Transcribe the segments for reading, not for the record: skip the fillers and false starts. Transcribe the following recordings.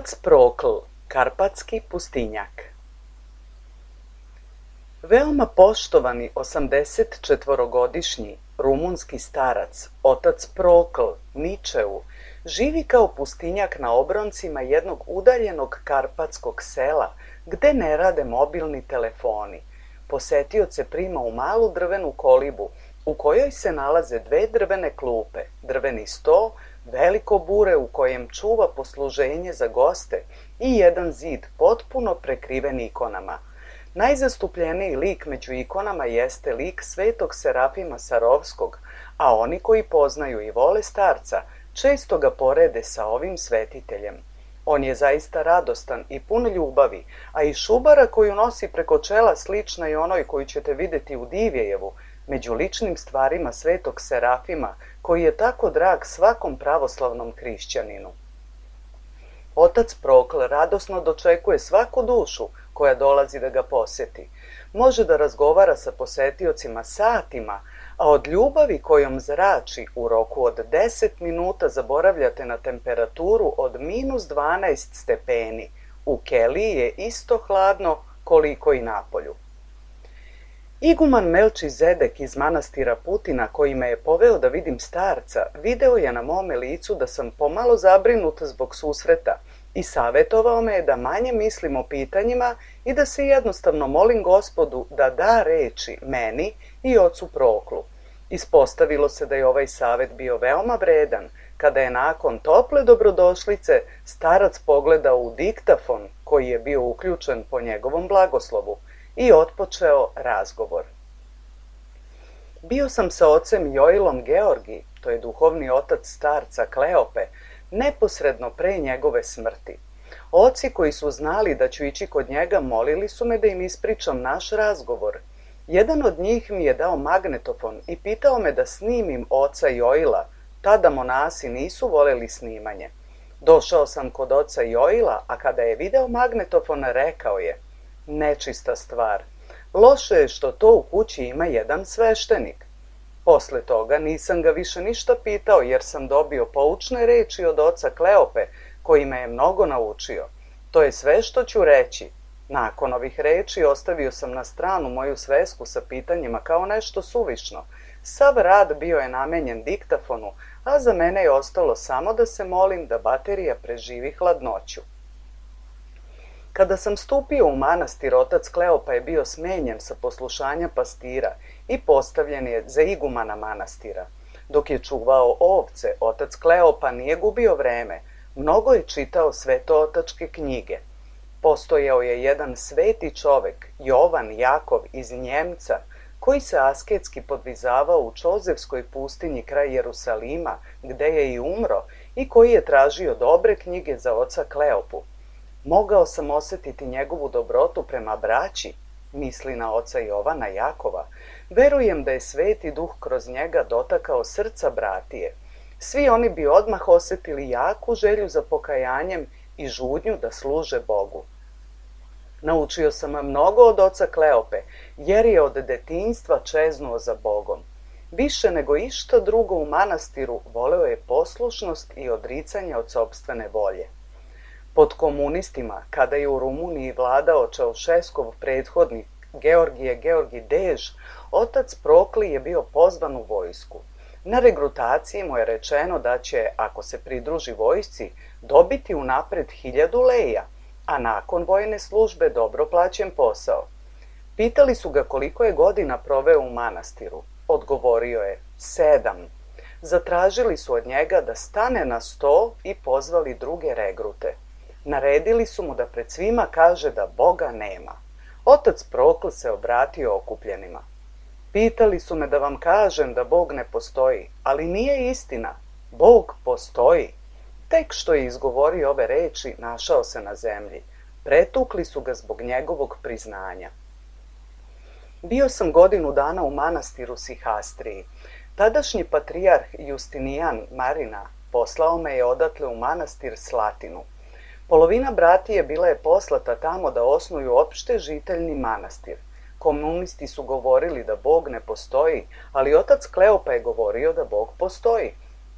Otac Prokl, karpatski pustinjak. Veoma poštovani 84-godišnji rumunski starac, otac Prokl, Ničeu, živi kao pustinjak na obroncima jednog udaljenog karpatskog sela, gde ne rade mobilni telefoni. Posetioce prima u malu drvenu kolibu, u kojoj se nalaze dve drvene klupe, drveni sto, veliko bure u kojem čuva posluženje za goste i jedan zid potpuno prekriven ikonama. Najzastupljeniji lik među ikonama jeste lik svetog Serafima Sarovskog, a oni koji poznaju i vole starca često ga porede sa ovim svetiteljem. On je zaista radostan i pun ljubavi, a i šubara koju nosi preko čela slična i onoj koju ćete vidjeti u Divjejevu, među ličnim stvarima svetog Serafima, koji je tako drag svakom pravoslavnom hrišćaninu. Otac Prokl radosno dočekuje svaku dušu koja dolazi da ga poseti. Može da razgovara sa posetiocima satima, a od ljubavi kojom zrači u roku od 10 minuta zaboravljate na temperaturu od -12 stepeni. U keliji je isto hladno koliko i napolju. Iguman Melčizedek iz manastira Putina, koji me je poveo da vidim starca, video je na mome licu da sam pomalo zabrinut zbog susreta i savjetovao me je da manje mislim o pitanjima i da se jednostavno molim Gospodu da da reči meni i ocu Proklu. Ispostavilo se da je ovaj savjet bio veoma vredan, kada je nakon tople dobrodošlice starac pogledao u diktafon koji je bio uključen po njegovom blagoslovu i otpočeo razgovor. Bio sam sa ocem Joilom Georgi, to je duhovni otac starca Kleope, neposredno pre njegove smrti. Oci koji su znali da ću ići kod njega molili su me da im ispričam naš razgovor. Jedan od njih mi je dao magnetofon i pitao me da snimim oca Joila, tada monasi nisu voleli snimanje. Došao sam kod oca Joila, a kada je video magnetofon rekao je: nečista stvar. Loše je što to u kući ima jedan sveštenik. Posle toga nisam ga više ništa pitao jer sam dobio poučne reči od oca Kleope koji me je mnogo naučio. To je sve što ću reći. Nakon ovih reči ostavio sam na stranu moju svesku sa pitanjima kao nešto suvišno. Sav rad bio je namenjen diktafonu, a za mene je ostalo samo da se molim da baterija preživi hladnoću. Kada sam stupio u manastir, otac Kleopa je bio smenjen sa poslušanja pastira i postavljen je za igumana manastira. Dok je čuvao ovce, otac Kleopa nije gubio vreme, mnogo je čitao svetootačke knjige. Postojao je jedan sveti čovek, Jovan Jakov iz Njemca, koji se asketski podvizavao u Čozevskoj pustinji kraj Jerusalima, gde je i umro, i koji je tražio dobre knjige za oca Kleopu. Mogao sam osjetiti njegovu dobrotu prema braći, misli na oca Jovana Jakova. Verujem da je sveti duh kroz njega dotakao srca bratije. Svi oni bi odmah osjetili jaku želju za pokajanjem i žudnju da služe Bogu. Naučio sam mnogo od oca Kleope, jer je od detinjstva čeznuo za Bogom. Više nego išta drugo u manastiru voleo je poslušnost i odricanje od sopstvene volje. Pod komunistima, kada je u Rumuniji vladao Čaušeskov prethodnik Georgi Dež, otac Prokli je bio pozvan u vojsku. Na regrutaciji mu je rečeno da će, ako se pridruži vojsci, dobiti unapred 1000 leja, a nakon vojne službe dobro plaćen posao. Pitali su ga koliko je godina proveo u manastiru. Odgovorio je 7. Zatražili su od njega da stane na sto i pozvali druge regrute. Naredili su mu da pred svima kaže da Boga nema. Otac Prokl se obratio okupljenima. Pitali su me da vam kažem da Bog ne postoji, ali nije istina. Bog postoji. Tek što je izgovorio ove reči, našao se na zemlji. Pretukli su ga zbog njegovog priznanja. Bio sam godinu dana u manastiru Sihastriji. Tadašnji patrijarh Justinijan Marina poslao me je odatle u manastir Slatinu. Polovina bratije bila je poslata tamo da osnuju opšte žiteljni manastir. Komunisti su govorili da Bog ne postoji, ali otac Kleopa je govorio da Bog postoji.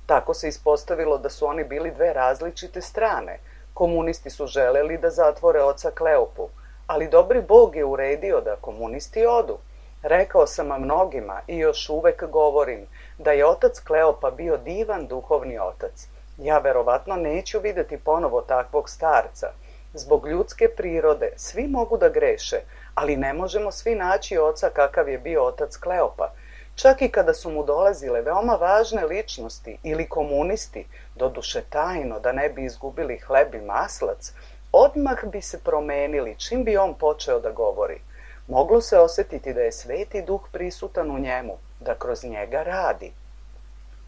Tako se ispostavilo da su oni bili dve različite strane. Komunisti su želeli da zatvore oca Kleopu, ali dobri Bog je uredio da komunisti odu. Rekao sam mnogima i još uvek govorim da je otac Kleopa bio divan duhovni otac. Ja verovatno neću videti ponovo takvog starca. Zbog ljudske prirode svi mogu da greše, ali ne možemo svi naći oca kakav je bio otac Kleopa. Čak i kada su mu dolazile veoma važne ličnosti ili komunisti, doduše tajno da ne bi izgubili hleb i maslac, odmah bi se promenili čim bi on počeo da govori. Moglo se osjetiti da je Sveti Duh prisutan u njemu, da kroz njega radi.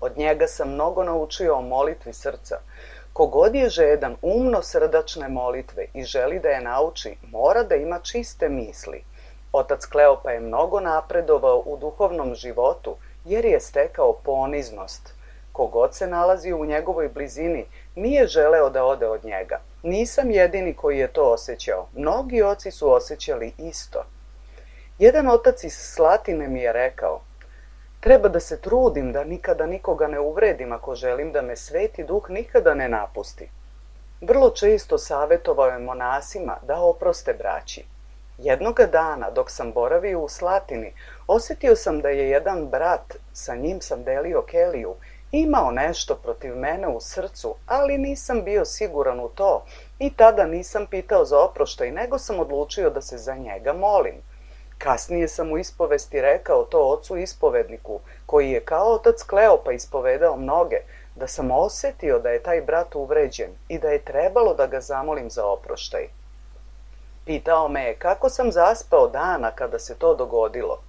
Od njega sam mnogo naučio o molitvi srca. Kogod je žedan umno srdačne molitve i želi da je nauči, mora da ima čiste misli. Otac Kleopa je mnogo napredovao u duhovnom životu jer je stekao poniznost. Kogod se nalazi u njegovoj blizini nije želeo da ode od njega. Nisam jedini koji je to osjećao. Mnogi oci su osjećali isto. Jedan otac iz Slatine mi je rekao: treba da se trudim da nikada nikoga ne uvredim ako želim da me Sveti Duh nikada ne napusti. Vrlo često savjetovao je monasima da oproste braći. Jednoga dana, dok sam boravio u Slatini, osjetio sam da je jedan brat, sa njim sam delio keliju, imao nešto protiv mene u srcu, ali nisam bio siguran u to i tada nisam pitao za oproštaj, nego sam odlučio da se za njega molim. Kasnije sam u ispovesti rekao to ocu ispovedniku, koji je kao otac Kleopa ispovedao mnoge, da sam osjetio da je taj brat uvređen i da je trebalo da ga zamolim za oproštaj. Pitao me je kako sam zaspao dana kada se to dogodilo.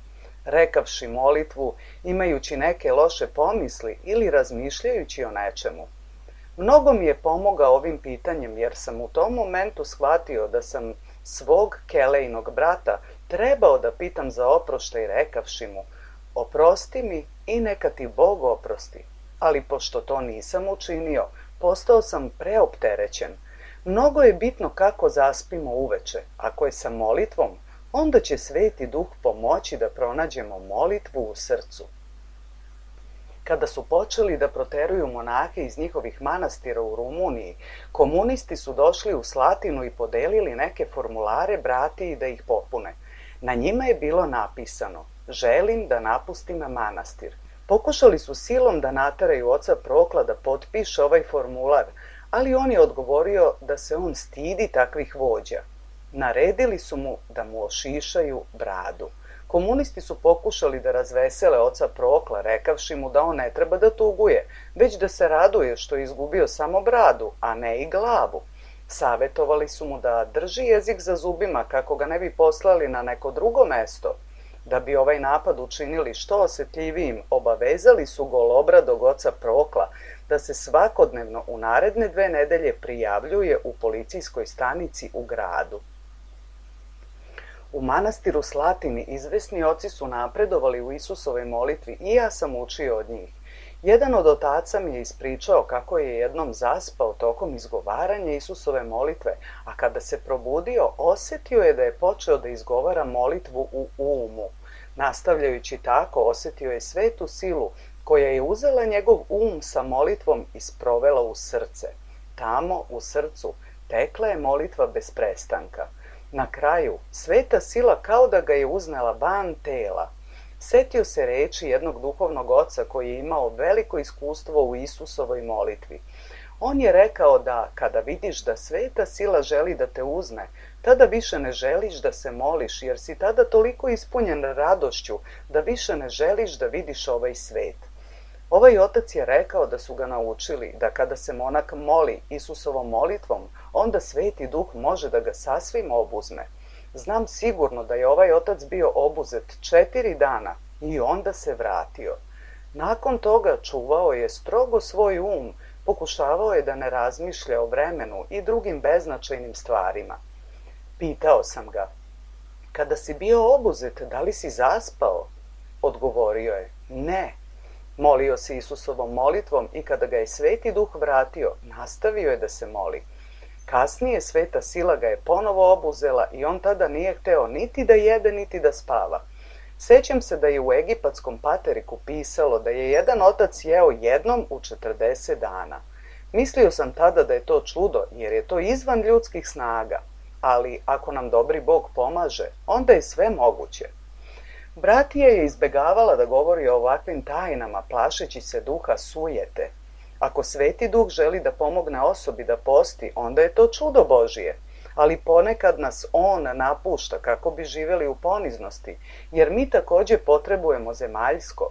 Rekavši molitvu, imajući neke loše pomisli ili razmišljajući o nečemu. Mnogo mi je pomogao ovim pitanjem jer sam u tom momentu shvatio da sam svog kelejnog brata trebao da pitam za oproštaj rekavši mu: oprosti mi i neka ti Bog oprosti. Ali pošto to nisam učinio, postao sam preopterećen. Mnogo je bitno kako zaspimo uveče. Ako je sa molitvom, onda će Sveti Duh pomoći da pronađemo molitvu u srcu. Kada su počeli da proteruju monahe iz njihovih manastira u Rumuniji, komunisti su došli u Slatinu i podelili neke formulare bratiji da ih popune. Na njima je bilo napisano: želim da napustim manastir. Pokušali su silom da nateraju oca Prokla da potpiše ovaj formular, ali on je odgovorio da se on stidi takvih vođa. Naredili su mu da mu ošišaju bradu. Komunisti su pokušali da razvesele oca Prokla, rekavši mu da on ne treba da tuguje, već da se raduje što je izgubio samo bradu, a ne i glavu. Savetovali su mu da drži jezik za zubima kako ga ne bi poslali na neko drugo mesto. Da bi ovaj napad učinili što osjetljivijim, obavezali su golobradog oca Prokla da se svakodnevno u naredne 2 nedelje prijavljuje u policijskoj stanici u gradu. U manastiru Slatini izvesni oci su napredovali u Isusovoj molitvi i ja sam učio od njih. Jedan od otaca mi je ispričao kako je jednom zaspao tokom izgovaranja Isusove molitve, a kada se probudio, osjetio je da je počeo da izgovara molitvu u umu. Nastavljajući tako, osjetio je svetu silu koja je uzela njegov um sa molitvom i sprovela u srce. Tamo, u srcu, tekla je molitva bez prestanka. Na kraju, sveta sila kao da ga je uznela van tela. Setio se reči jednog duhovnog oca koji je imao veliko iskustvo u Isusovoj molitvi. On je rekao da kada vidiš da sveta sila želi da te uzme, tada više ne želiš da se moliš, jer si tada toliko ispunjen radošću da više ne želiš da vidiš ovaj svet. Ovaj otac je rekao da su ga naučili da kada se monak moli Isusovom molitvom, onda Sveti Duh može da ga sasvim obuzme. Znam sigurno da je ovaj otac bio obuzet 4 dana i onda se vratio. Nakon toga čuvao je strogo svoj um, pokušavao je da ne razmišlja o vremenu i drugim beznačajnim stvarima. Pitao sam ga: kada si bio obuzet, da li si zaspao? Odgovorio je: ne. Molio se Isusovom molitvom i kada ga je Sveti Duh vratio, nastavio je da se moli. Kasnije sveta sila ga je ponovo obuzela i on tada nije hteo niti da jede, niti da spava. Sećam se da je u egipatskom pateriku pisalo da je jedan otac jeo jednom u 40 dana. Mislio sam tada da je to čudo, jer je to izvan ljudskih snaga, ali ako nam dobri Bog pomaže, onda je sve moguće. Bratija je izbegavala da govori o ovakvim tajnama, plašeći se duha sujete. Ako Sveti Duh želi da pomogne osobi da posti, onda je to čudo Božije, ali ponekad nas on napušta kako bi živjeli u poniznosti, jer mi također potrebujemo zemaljsko.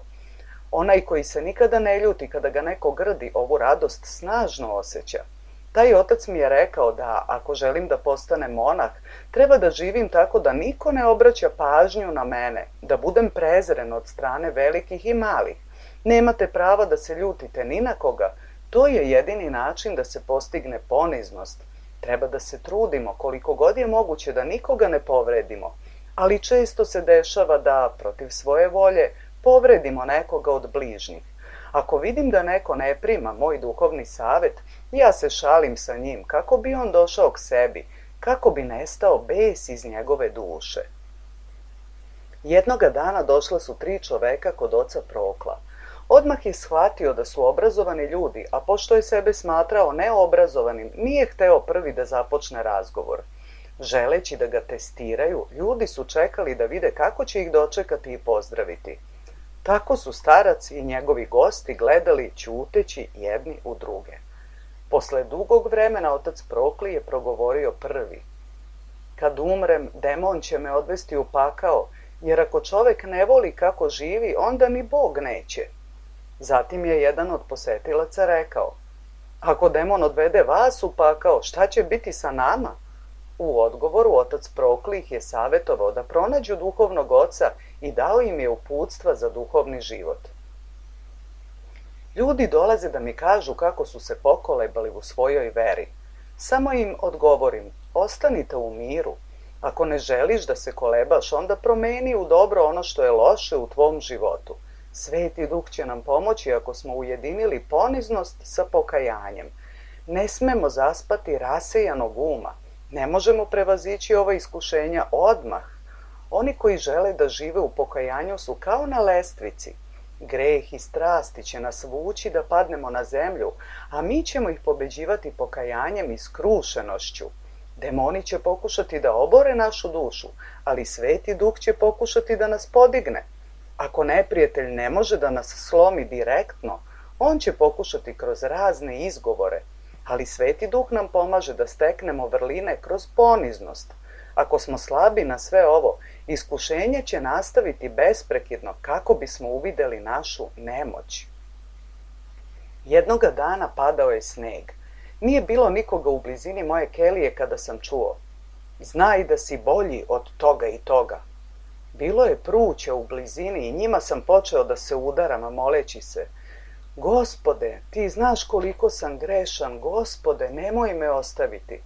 Onaj koji se nikada ne ljuti kada ga neko grdi, ovu radost snažno osjeća. Taj otac mi je rekao da ako želim da postanem monah, treba da živim tako da niko ne obraća pažnju na mene, da budem prezren od strane velikih i malih. Nemate prava da se ljutite ni na koga, to je jedini način da se postigne poniznost. Treba da se trudimo koliko god je moguće da nikoga ne povredimo, ali često se dešava da, protiv svoje volje, povredimo nekoga od bližnjih. Ako vidim da neko ne prima moj duhovni savjet, ja se šalim sa njim kako bi on došao k sebi, kako bi nestao bes iz njegove duše. Jednoga dana došla su 3 čoveka kod oca Prokla. Odmah je shvatio da su obrazovani ljudi, a pošto je sebe smatrao neobrazovanim, nije hteo prvi da započne razgovor. Želeći da ga testiraju, ljudi su čekali da vide kako će ih dočekati i pozdraviti. Tako su starac i njegovi gosti gledali ćuteći jedni u druge. Posle dugog vremena otac Prokli je progovorio prvi. Kad umrem, demon će me odvesti u pakao, jer ako čovek ne voli kako živi, onda ni Bog neće. Zatim je jedan od posetilaca rekao, ako demon odvede vas u pakao, šta će biti sa nama? U odgovoru otac Prokli ih je savjetovao da pronađu duhovnog oca i dao im je uputstva za duhovni život. Ljudi dolaze da mi kažu kako su se pokolebali u svojoj veri. Samo im odgovorim, ostanite u miru. Ako ne želiš da se kolebaš, onda promeni u dobro ono što je loše u tvom životu. Sveti Duh će nam pomoći ako smo ujedinili poniznost sa pokajanjem. Ne smemo zaspati rasejanog uma. Ne možemo prevazići ova iskušenja odmah. Oni koji žele da žive u pokajanju su kao na lestvici. Greh i strasti će nas vući da padnemo na zemlju, a mi ćemo ih pobeđivati pokajanjem i skrušenošću. Demoni će pokušati da obore našu dušu, ali Sveti Duh će pokušati da nas podigne. Ako neprijatelj ne može da nas slomi direktno, on će pokušati kroz razne izgovore, ali Sveti Duh nam pomaže da steknemo vrline kroz poniznost. Ako smo slabi na sve ovo, iskušenje će nastaviti besprekidno kako bismo uvideli našu nemoć. Jednoga dana padao je sneg. Nije bilo nikoga u blizini moje kelije kada sam čuo. Znaj da si bolji od toga i toga. Bilo je pruća u blizini i njima sam počeo da se udaram, moleći se. Gospode, ti znaš koliko sam grešan, Gospode, nemoj me ostaviti.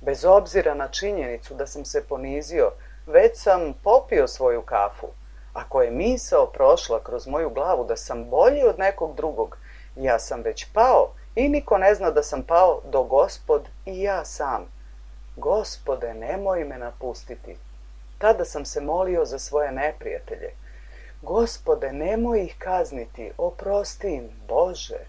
Bez obzira na činjenicu da sam se ponizio, već sam popio svoju kafu. Ako je misao prošla kroz moju glavu da sam bolji od nekog drugog, ja sam već pao i niko ne zna da sam pao do Gospod i ja sam. Gospode, nemoj me napustiti. Tada sam se molio za svoje neprijatelje. Gospode, nemoj ih kazniti, oprosti im, Bože.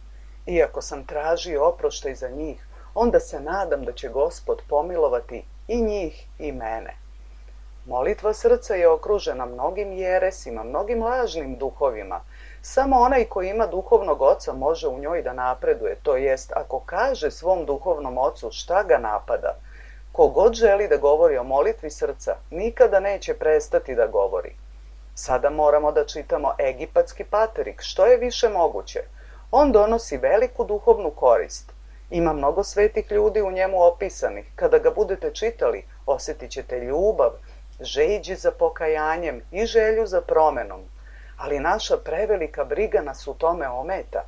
Iako sam tražio oproštaj za njih, onda se nadam da će Gospod pomilovati i njih i mene. Molitva srca je okružena mnogim jeresima, mnogim lažnim duhovima. Samo onaj koji ima duhovnog oca može u njoj da napreduje, to jest ako kaže svom duhovnom ocu šta ga napada. Kogod želi da govori o molitvi srca, nikada neće prestati da govori. Sada moramo da čitamo egipatski paterik, što je više moguće. On donosi veliku duhovnu korist. Ima mnogo svetih ljudi u njemu opisanih. Kada ga budete čitali, osjetit ćete ljubav, žeđ za pokajanjem i želju za promenom. Ali naša prevelika briga nas u tome ometa.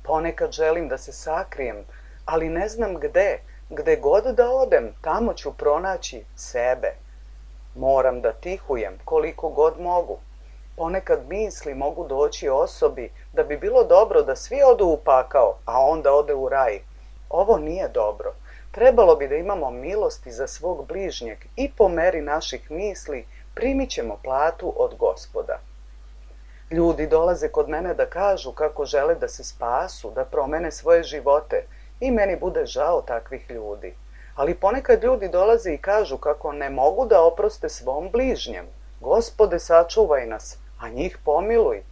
Ponekad želim da se sakrijem, ali ne znam gde. Gde god da odem, tamo ću pronaći sebe. Moram da tihujem koliko god mogu. Ponekad misli mogu doći osobi da bi bilo dobro da svi odu u pakao, a onda ode u raj. Ovo nije dobro. Trebalo bi da imamo milosti za svog bližnjeg i po meri naših misli primit ćemo platu od Gospoda. Ljudi dolaze kod mene da kažu kako žele da se spasu, da promene svoje živote i meni bude žao takvih ljudi. Ali ponekad ljudi dolaze i kažu kako ne mogu da oproste svom bližnjem. Gospode, sačuvaj nas, a njih pomiluj.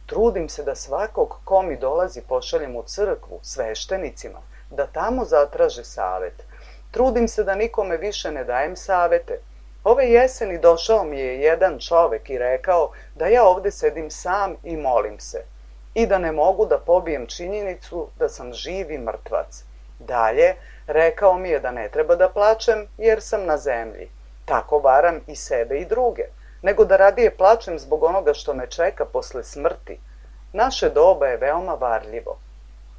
Trudim se da svakog ko mi dolazi pošaljem u crkvu, sveštenicima, da tamo zatraže savet. Trudim se da nikome više ne dajem savete. Ove jeseni došao mi je jedan čovek i rekao da ja ovde sedim sam i molim se i da ne mogu da pobijem činjenicu da sam živi mrtvac. Dalje, rekao mi je da ne treba da plačem jer sam na zemlji. Tako varam i sebe i druge, nego da radije plačem zbog onoga što me čeka posle smrti. Naše doba je veoma varljivo.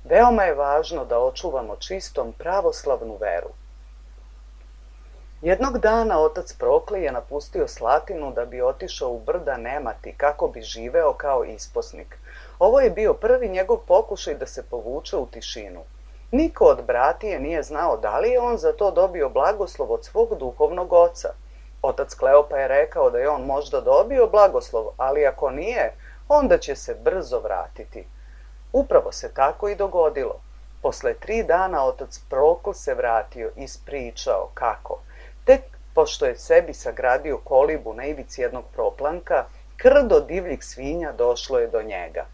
Veoma je važno da očuvamo čistom pravoslavnu veru. Jednog dana otac Prokle je napustio Slatinu da bi otišao u brda Nemati kako bi živeo kao isposnik. Ovo je bio prvi njegov pokušaj da se povuče u tišinu. Niko od bratije nije znao da li je on za to dobio blagoslov od svog duhovnog oca. Otac Kleopa je rekao da je on možda dobio blagoslov, ali ako nije, onda će se brzo vratiti. Upravo se tako i dogodilo. Posle 3 dana otac Prokle se vratio i ispričao kako. Tek pošto je sebi sagradio kolibu na ivici jednog proplanka, krdo divljih svinja došlo je do njega.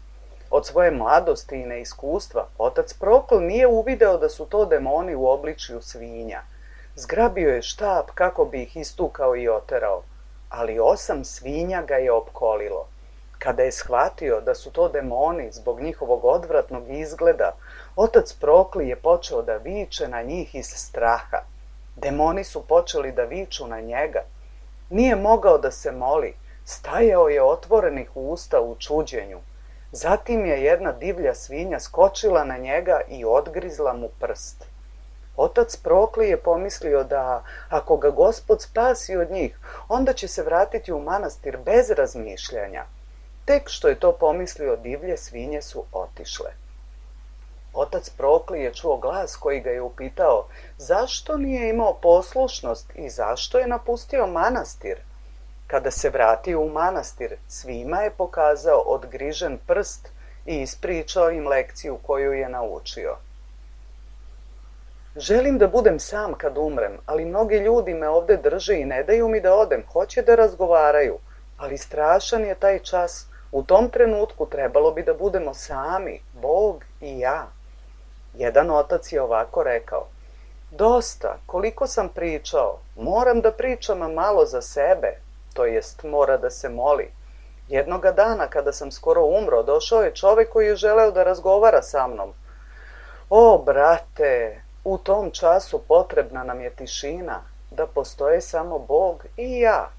Od svoje mladosti i neiskustva, otac Prokle nije uvideo da su to demoni u obličju svinja. Zgrabio je štap kako bi ih istukao i oterao, ali 8 svinja ga je opkolilo. Kada je shvatio da su to demoni zbog njihovog odvratnog izgleda, otac Prokle je počeo da viče na njih iz straha. Demoni su počeli da viču na njega. Nije mogao da se moli, stajao je otvorenih usta u čuđenju. Zatim je jedna divlja svinja skočila na njega i odgrizla mu prst. Otac Prokle je pomislio da ako ga Gospod spasi od njih, onda će se vratiti u manastir bez razmišljanja. Tek što je to pomislio, divlje svinje su otišle. Otac Prokle je čuo glas koji ga je upitao zašto nije imao poslušnost i zašto je napustio manastir. Kada se vratio u manastir, svima je pokazao odgrižen prst i ispričao im lekciju koju je naučio. Želim da budem sam kad umrem, ali mnogi ljudi me ovde drže i ne daju mi da odem, hoće da razgovaraju, ali strašan je taj čas. U tom trenutku trebalo bi da budemo sami, Bog i ja. Jedan otac je ovako rekao: dosta, koliko sam pričao, moram da pričam malo za sebe, to jest mora da se moli. Jednoga dana kada sam skoro umro, došao je čovek koji je želeo da razgovara sa mnom. O, brate, u tom času potrebna nam je tišina, da postoje samo Bog i ja.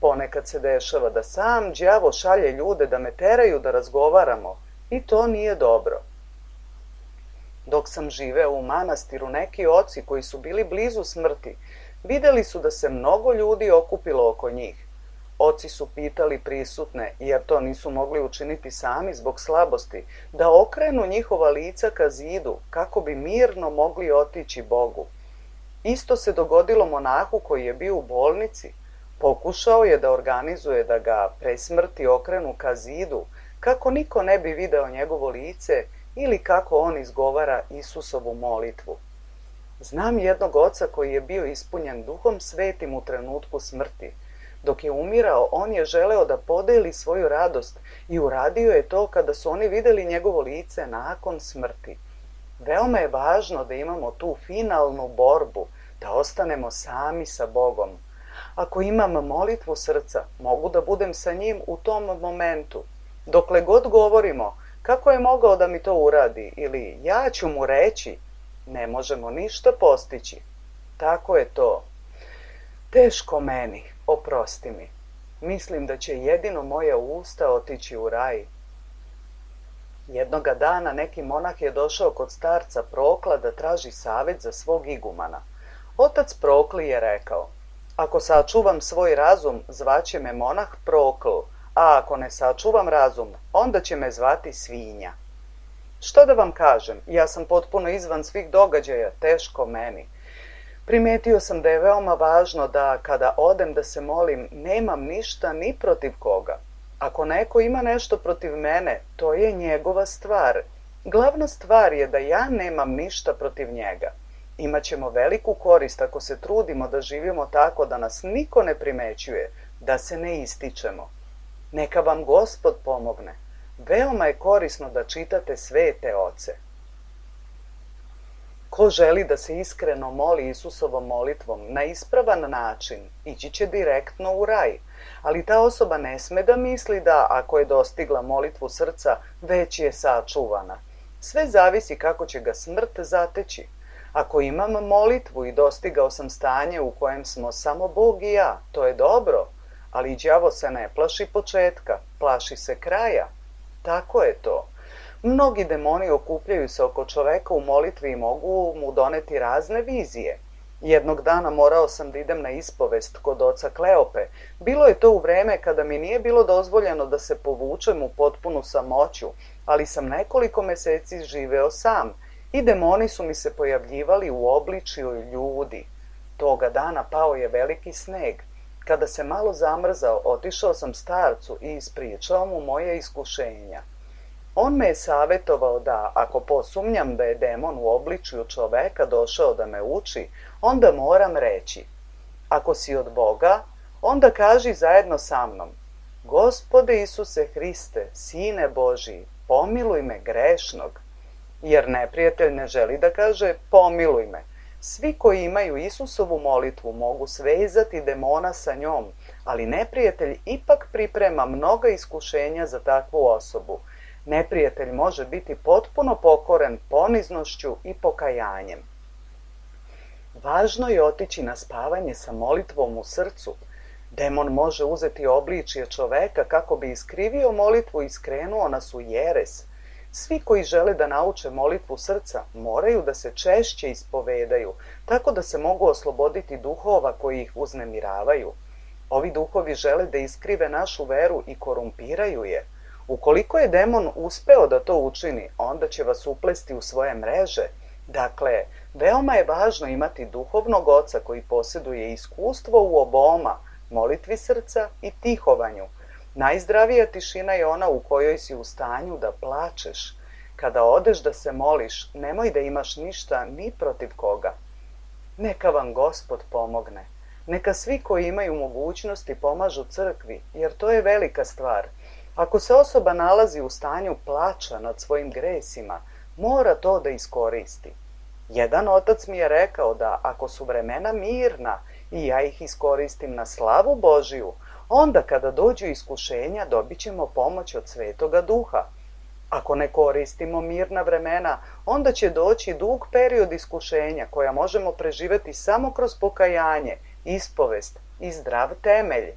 Ponekad se dešava da sam đavo šalje ljude da me teraju da razgovaramo i to nije dobro. Dok sam živeo u manastiru, neki oci koji su bili blizu smrti, videli su da se mnogo ljudi okupilo oko njih. Oci su pitali prisutne, jer to nisu mogli učiniti sami zbog slabosti, da okrenu njihova lica ka zidu, kako bi mirno mogli otići Bogu. Isto se dogodilo monahu koji je bio u bolnici. Pokušao je da organizuje da ga pre smrti okrenu ka zidu, kako niko ne bi video njegovo lice ili kako on izgovara Isusovu molitvu. Znam jednog oca koji je bio ispunjen Duhom Svetim u trenutku smrti. Dok je umirao, on je želeo da podeli svoju radost i uradio je to kada su oni videli njegovo lice nakon smrti. Veoma je važno da imamo tu finalnu borbu, da ostanemo sami sa Bogom. Ako imam molitvu srca, mogu da budem sa njim u tom momentu. Dokle god govorimo, kako je mogao da mi to uradi ili ja ću mu reći, ne možemo ništa postići. Tako je to. Teško meni, oprosti mi. Mislim da će jedino moja usta otići u raj. Jednoga dana neki monah je došao kod starca Prokla da traži savet za svog igumana. Otac Prokle je rekao: ako sačuvam svoj razum, zvaće me monah Prokl, a ako ne sačuvam razum, onda će me zvati svinja. Što da vam kažem, ja sam potpuno izvan svih događaja, teško meni. Primetio sam da je veoma važno da kada odem da se molim, nemam ništa ni protiv koga. Ako neko ima nešto protiv mene, to je njegova stvar. Glavna stvar je da ja nemam ništa protiv njega. Imaćemo veliku korist ako se trudimo da živimo tako da nas niko ne primećuje, da se ne ističemo. Neka vam Gospod pomogne. Veoma je korisno da čitate svete oce. Ko želi da se iskreno moli Isusovom molitvom na ispravan način, ići će direktno u raj, ali ta osoba ne sme da misli da, ako je dostigla molitvu srca, već je sačuvana. Sve zavisi kako će ga smrt zateći. Ako imam molitvu i dostigao sam stanje u kojem smo samo Bog i ja, to je dobro, ali đavo se ne plaši početka, plaši se kraja. Tako je to. Mnogi demoni okupljaju se oko čoveka u molitvi i mogu mu doneti razne vizije. Jednog dana morao sam da idem na ispovest kod oca Kleope. Bilo je to u vreme kada mi nije bilo dozvoljeno da se povučem u potpunu samoću, ali sam nekoliko meseci živeo sam i demoni su mi se pojavljivali u obličju ljudi. Toga dana pao je veliki sneg. Kada se malo zamrzao, otišao sam starcu i ispričao mu moje iskušenja. On me je savjetovao da, ako posumnjam da je demon u obličju čoveka došao da me uči, onda moram reći: ako si od Boga, onda kaži zajedno sa mnom: Gospode Isuse Hriste, Sine Božiji, pomiluj me grešnog. Jer neprijatelj ne želi da kaže pomiluj me. Svi koji imaju Isusovu molitvu mogu svezati demona sa njom, ali neprijatelj ipak priprema mnoga iskušenja za takvu osobu. Neprijatelj može biti potpuno pokoren poniznošću i pokajanjem. Važno je otići na spavanje sa molitvom u srcu. Demon može uzeti obličje čoveka kako bi iskrivio molitvu i skrenuo nas u jeres. Svi koji žele da nauče molitvu srca moraju da se češće ispovedaju, tako da se mogu osloboditi duhova koji ih uznemiravaju. Ovi duhovi žele da iskrive našu veru i korumpiraju je. Ukoliko je demon uspeo da to učini, onda će vas uplesti u svoje mreže. Dakle, veoma je važno imati duhovnog oca koji posjeduje iskustvo u oboma, molitvi srca i tihovanju. Najzdravija tišina je ona u kojoj si u stanju da plačeš. Kada odeš da se moliš, nemoj da imaš ništa ni protiv koga. Neka vam Gospod pomogne. Neka svi koji imaju mogućnosti pomažu crkvi, jer to je velika stvar. Ako se osoba nalazi u stanju plača nad svojim gresima, mora to da iskoristi. Jedan otac mi je rekao da ako su vremena mirna i ja ih iskoristim na slavu Božiju, onda kada dođu iskušenja dobit ćemo pomoć od Svetoga Duha. Ako ne koristimo mirna vremena, onda će doći dug period iskušenja koja možemo preživeti samo kroz pokajanje, ispovest i zdrav temelj.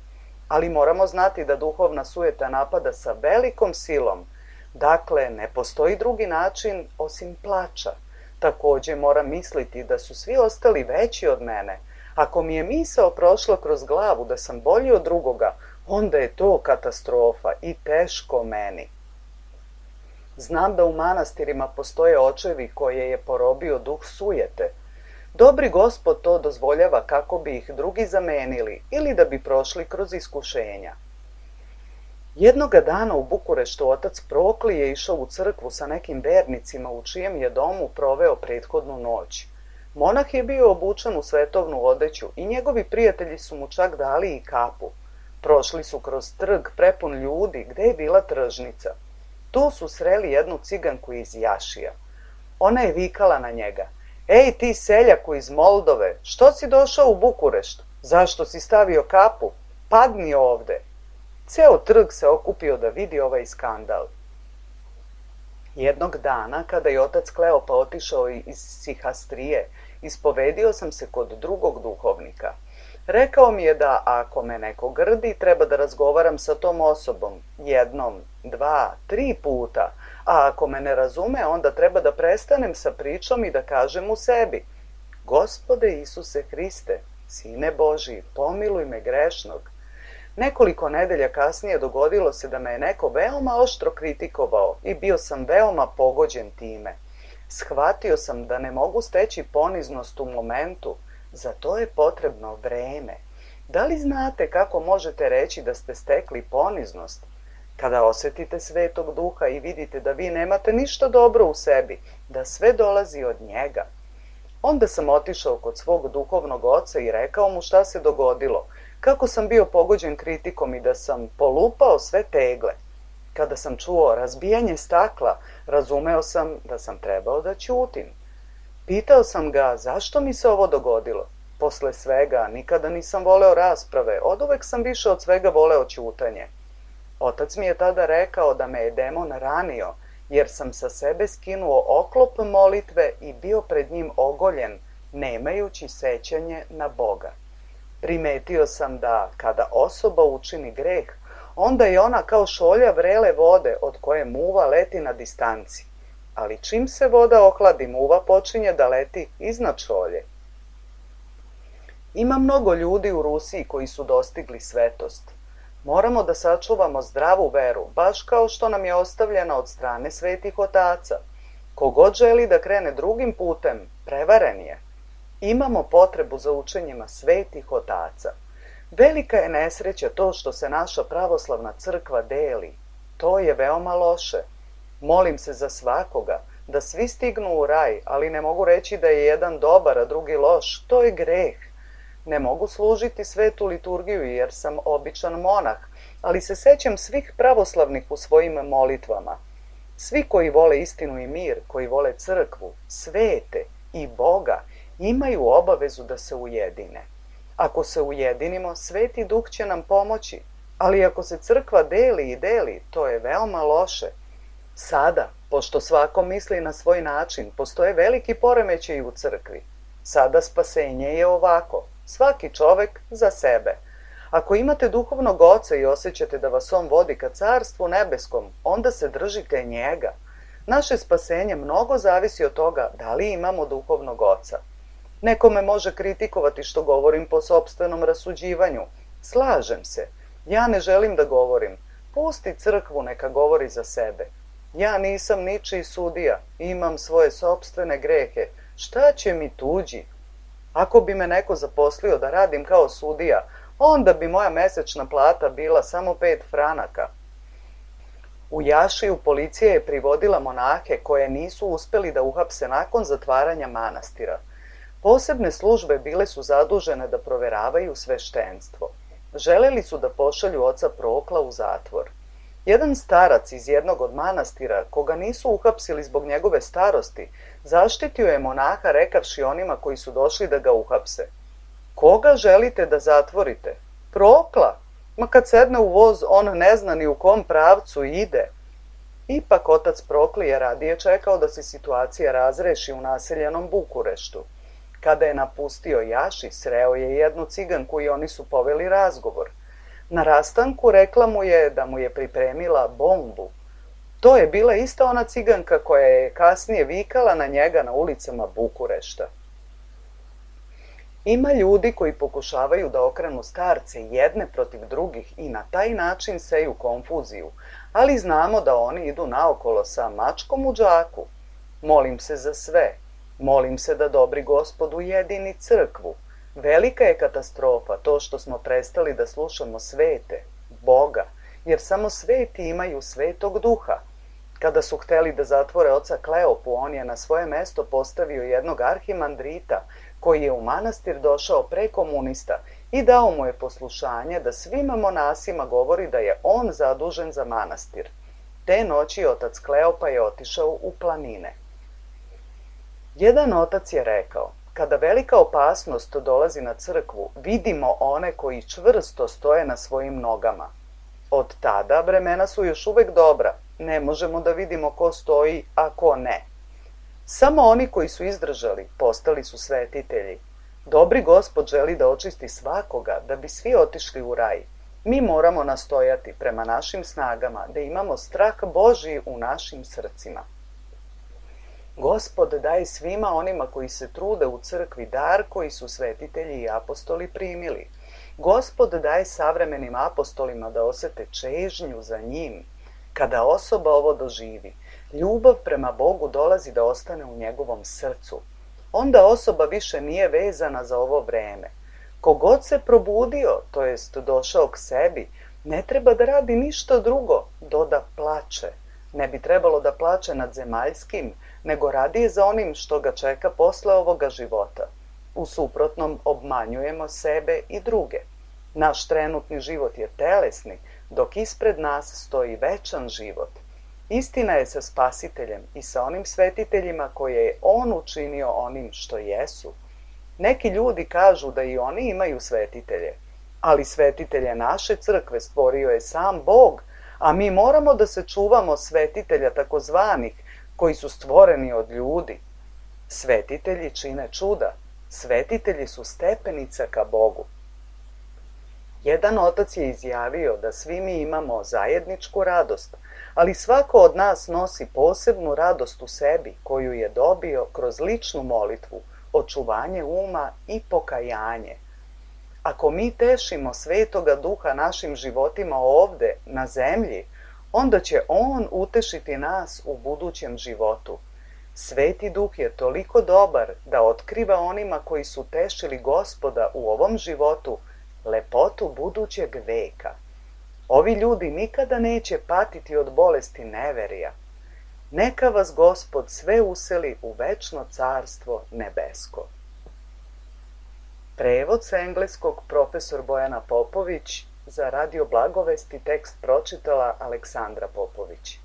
Ali moramo znati da duhovna sujeta napada sa velikom silom. Dakle, ne postoji drugi način osim plača. Takođe moram misliti da su svi ostali veći od mene. Ako mi je misao prošla kroz glavu da sam bolji od drugoga, onda je to katastrofa i teško meni. Znam da u manastirima postoje očevi koje je porobio duh sujete. Dobri Gospod to dozvoljava kako bi ih drugi zamenili ili da bi prošli kroz iskušenja. Jednoga dana u Bukureštu otac Prokli je išao u crkvu sa nekim vernicima u čijem je domu proveo prethodnu noć. Monah je bio obučen u svetovnu odeću i njegovi prijatelji su mu čak dali i kapu. Prošli su kroz trg prepun ljudi gde je bila tržnica. Tu su sreli jednu ciganku iz Jašija. Ona je vikala na njega: Ej ti seljaku iz Moldove, što si došao u Bukurešt? Zašto si stavio kapu? Padni ovde. Ceo trg se okupio da vidi ovaj skandal. Jednog dana, kada je otac Kleopa otišao iz Sihastrije, ispovedio sam se kod drugog duhovnika. Rekao mi je da ako me neko grdi, treba da razgovaram sa tom osobom 1, 2, 3 puta, a ako me ne razume, onda treba da prestanem sa pričom i da kažem u sebi: Gospode Isuse Hriste, Sine Božiji, pomiluj me grešnog. Nekoliko nedelja kasnije dogodilo se da me je neko veoma oštro kritikovao i bio sam veoma pogođen time. Shvatio sam da ne mogu steći poniznost u momentu, za to je potrebno vreme. Da li znate kako možete reći da ste stekli poniznost? Kada osjetite Svetog Duha i vidite da vi nemate ništa dobro u sebi, da sve dolazi od njega. Onda sam otišao kod svog duhovnog oca i rekao mu šta se dogodilo, kako sam bio pogođen kritikom i da sam polupao sve tegle. Kada sam čuo razbijanje stakla, razumeo sam da sam trebao da ćutim. Pitao sam ga zašto mi se ovo dogodilo. Posle svega nikada nisam voleo rasprave, oduvek sam više od svega voleo ćutanje. Otac mi je tada rekao da me je demon ranio, jer sam sa sebe skinuo oklop molitve i bio pred njim ogoljen, nemajući sećanje na Boga. Primetio sam da kada osoba učini greh, onda je ona kao šolja vrele vode od koje muva leti na distanci. Ali čim se voda ohladi, muva počinje da leti iznad šolje. Ima mnogo ljudi u Rusiji koji su dostigli svetost. Moramo da sačuvamo zdravu veru, baš kao što nam je ostavljena od strane svetih otaca. Kogod želi da krene drugim putem, prevaren je. Imamo potrebu za učenjima svetih otaca. Velika je nesreća to što se naša pravoslavna crkva deli. To je veoma loše. Molim se za svakoga, da svi stignu u raj, ali ne mogu reći da je jedan dobar, a drugi loš. To je greh. Ne mogu služiti svetu liturgiju jer sam običan monah, ali se sećam svih pravoslavnih u svojim molitvama. Svi koji vole istinu i mir, koji vole crkvu, svete i Boga, imaju obavezu da se ujedine. Ako se ujedinimo, Sveti Duh će nam pomoći, ali ako se crkva deli i deli, to je veoma loše. Sada, pošto svako misli na svoj način, postoje veliki poremećaji u crkvi. Sada spasenje je ovako, svaki čovek za sebe. Ako imate duhovnog oca i osjećate da vas on vodi ka carstvu nebeskom, onda se držite njega. Naše spasenje mnogo zavisi od toga da li imamo duhovnog oca. Neko me može kritikovati što govorim po sopstvenom rasuđivanju. Slažem se. Ja ne želim da govorim. Pusti crkvu neka govori za sebe. Ja nisam ničiji sudija. Imam svoje sopstvene grehe. Šta će mi tuđi? Ako bi me neko zaposlio da radim kao sudija, onda bi moja mesečna plata bila samo 5 franaka. U Jašiju policija je privodila monahe koje nisu uspeli da uhapse nakon zatvaranja manastira. Posebne službe bile su zadužene da proveravaju sveštenstvo. Želeli su da pošalju oca Prokla u zatvor. Jedan starac iz jednog od manastira, koga nisu uhapsili zbog njegove starosti, zaštitio je monaha rekavši onima koji su došli da ga uhapse. Koga želite da zatvorite? Prokla! Ma kad sedne u voz, on ne zna ni u kom pravcu ide. Ipak otac Prokli je radije čekao da se situacija razreši u naseljenom Bukureštu. Kada je napustio Jaši, sreo je jednu ciganku i oni su poveli razgovor. Na rastanku rekla mu je da mu je pripremila bombu. To je bila ista ona ciganka koja je kasnije vikala na njega na ulicama Bukurešta. Ima ljudi koji pokušavaju da okrenu starce jedne protiv drugih i na taj način seju konfuziju, ali znamo da oni idu naokolo sa mačkom u džaku. Molim se za sve. Molim se da dobri Gospod ujedini crkvu. Velika je katastrofa to što smo prestali da slušamo svete, Boga, jer samo sveti imaju Svetog Duha. Kada su hteli da zatvore oca Kleopu, on je na svoje mesto postavio jednog arhimandrita koji je u manastir došao pre komunista i dao mu je poslušanje da svim monasima govori da je on zadužen za manastir. Te noći otac Kleopa je otišao u planine. Jedan otac je rekao, kada velika opasnost dolazi na crkvu, vidimo one koji čvrsto stoje na svojim nogama. Od tada vremena su još uvek dobra, ne možemo da vidimo ko stoji, a ko ne. Samo oni koji su izdržali postali su svetitelji. Dobri Gospod želi da očisti svakoga, da bi svi otišli u raj. Mi moramo nastojati prema našim snagama, da imamo strah Božji u našim srcima. Gospod daje svima onima koji se trude u crkvi dar koji su svetitelji i apostoli primili. Gospod daje savremenim apostolima da osete čežnju za njim. Kada osoba ovo doživi, ljubav prema Bogu dolazi da ostane u njegovom srcu. Onda osoba više nije vezana za ovo vreme. Kogod se probudio, to jest došao k sebi, Ne treba da radi ništa drugo do da plače. Ne bi trebalo da plače nad zemaljskim, nego radije za onim što ga čeka posle ovoga života. U suprotnom obmanjujemo sebe i druge. Naš trenutni život je telesni, dok ispred nas stoji večan život. Istina je sa Spasiteljem i sa onim svetiteljima koje je On učinio onim što jesu. Neki ljudi kažu da i oni imaju svetitelje, ali svetitelje naše crkve stvorio je sam Bog, a mi moramo da se čuvamo svetitelja takozvanih koji su stvoreni od ljudi. Svetitelji čine čuda, svetitelji su stepenica ka Bogu. Jedan otac je izjavio da svi mi imamo zajedničku radost, ali svako od nas nosi posebnu radost u sebi koju je dobio kroz ličnu molitvu, očuvanje uma i pokajanje. Ako mi tešimo Svetoga Duha našim životima ovde, na zemlji, onda će On utešiti nas u budućem životu. Sveti Duh je toliko dobar da otkriva onima koji su tešili Gospoda u ovom životu lepotu budućeg veka. Ovi ljudi nikada neće patiti od bolesti neverija. Neka vas Gospod sve useli u večno carstvo nebesko. Prevod sa engleskog profesor Bojana Popović, za Radio Blagovesti tekst pročitala Aleksandra Popović.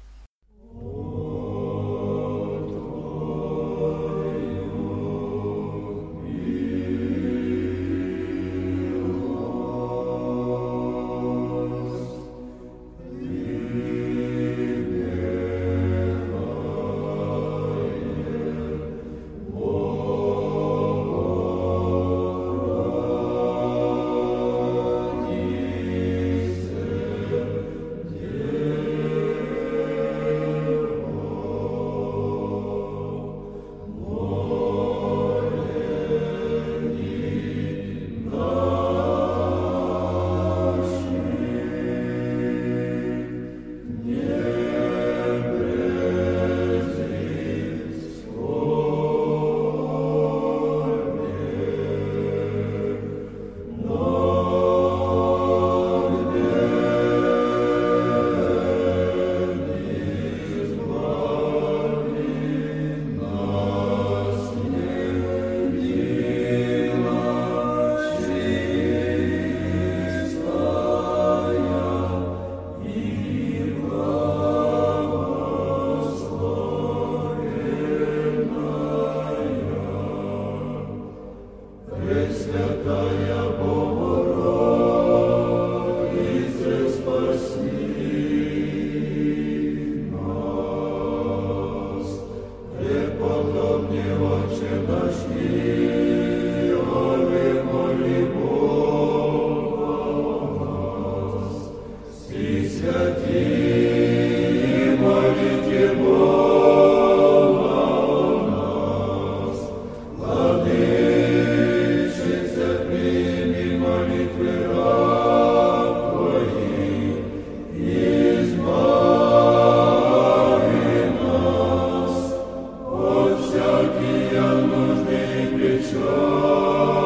Всякие нужды плечо.